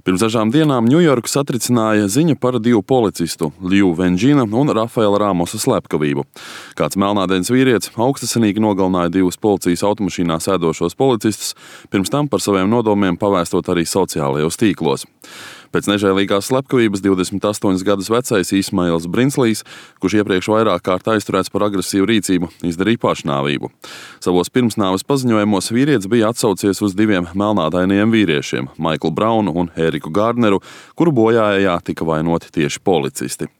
Pirms dažām dienām Ņujorku satricināja ziņa par divu policistu, Liu Venģina un Rafaela Ramosa slepkavību. Kāds melnādains vīrietis augstasinīgi nogalināja divus policijas automašīnā sēdošos policistus, pirms tam par saviem nodomiem pavēstot arī sociālajos tīklos. Pēc nežēlīgās slepkavības 28 gadus vecais Ismails Brinslīs, kurš iepriekš vairāk kārt aizturēts par agresīvu rīcību, izdarīja pašnāvību. Savos pirmsnāves paziņojumos vīrietis bija atsaucies uz diviem melnādainiem vīriešiem, Maiklu Braunu un Eriku Gardneru, kuru bojājā tika vainoti tieši policisti.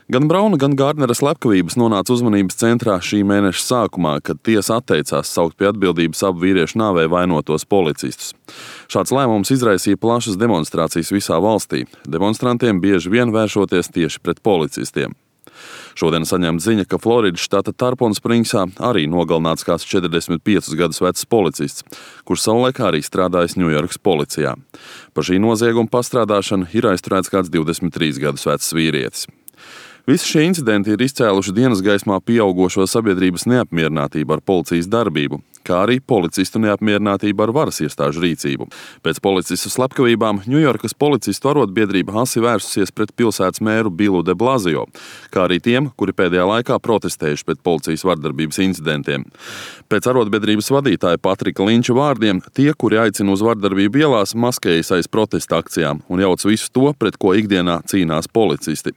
Gan Brauna, gan Gardnera slepkavības nonāca uzmanības centrā šī mēneša sākumā, kad tiesa atteicās saukt pie atbildības abu vīriešu nāvē vainotos policistus. Šāds lēmums izraisīja plašas demonstrācijas visā valstī. Demonstrantiem bieži vien vēršoties tieši pret policistiem. Šodien saņemta ziņa, ka Floridas štata Tarponspringsā arī nogalināts kāds 45 gadus vecs policists, kurš savulaik arī strādājis Ņujorkas policijā. Par šī nozieguma pastrādāšanu ir aizturēts kāds 23 gadus vecs vīrietis. Visi šie incidenti ir izcēluši dienas gaismā pieaugošo sabiedrības neapmierinātību ar policijas darbību, kā arī policistu neapmierinātību ar varas iestāžu rīcību. Pēc policistu slepkavībām Ņujorkas policistu arotbiedrība asi vērsusies pret pilsētas mēru Billu de Blasio, kā arī tiem, kuri pēdējā laikā protestējuši pret policijas vardarbības incidentiem. Pēc arotbiedrības vadītāja Patrika Linča vārdiem, tie, kuri aicina uz vardarbību ielās, maskējas aiz protesta akcijām un jauc visu to, pret ko ikdienā cīnās policisti.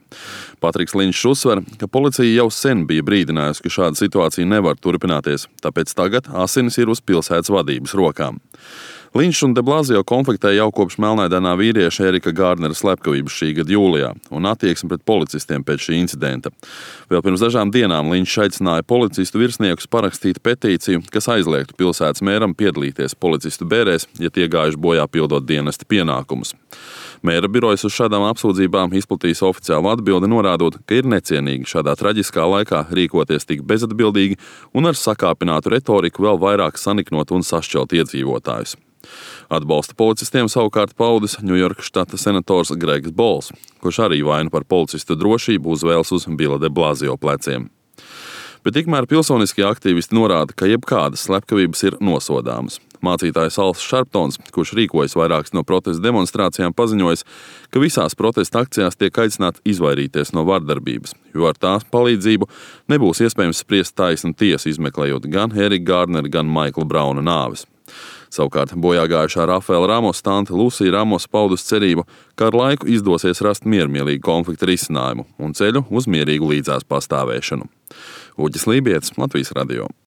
Patriks Linčs uzsver, ka policija jau sen bija brīdinājusi, ka šāda situācija nevar turpināties, tāpēc tagad asinis ir uz pilsētas vadības rokām. Linčs un de Blasio konfliktēja jau kopš melnādainā vīrieša Erika Gardnera slepkavības šī gada jūlijā un attieksmi pret policistiem pēc šī incidenta. Vēl pirms dažām dienām Linčs aicināja policistu virsniekus parakstīt petīciju, kas aizliegtu pilsētas mēram piedalīties policistu bērēs, ja tie gājuši bojā pildot dienesta pienākumus. Mēra birojas uz šādām apsūdzībām izplatījis oficiālu atbildi, norādot, ka ir necienīgi šādā traģiskā laikā rīkoties tik bezatbildīgi un ar sakāpinātu retoriku vēl vairāk saniknot un sašķelt iedzīvotājus. Atbalsta policistiem savukārt paudis Ņujorkas štata senators Gregs Bols, kurš arī vainu par policistu drošību uzvēlas uz Billa de Blasio pleciem. Bet tikmēr pilsoniskie aktīvisti norāda, ka jebkādas slepkavības ir nosodāmas. Mācītājs Als Šarptons, kurš rīkojas vairākas no protesta demonstrācijām, paziņojis, ka visās protesta akcijās tiek aicināti izvairīties no vardarbības, jo ar tās palīdzību nebūs iespējams spriest taisnu tiesu, izmeklējot gan Erika Gardnera, gan Maikla Brauna nāves. Savukārt bojāgājušā Rafaela Ramosa tante Lucija Ramos paudus cerību, ka ar laiku izdosies rast miermīlīgu konflikta risinājumu un ceļu uz mierīgu līdzās pastāvēšanu. Uģis Lībietis, Latvijas radio.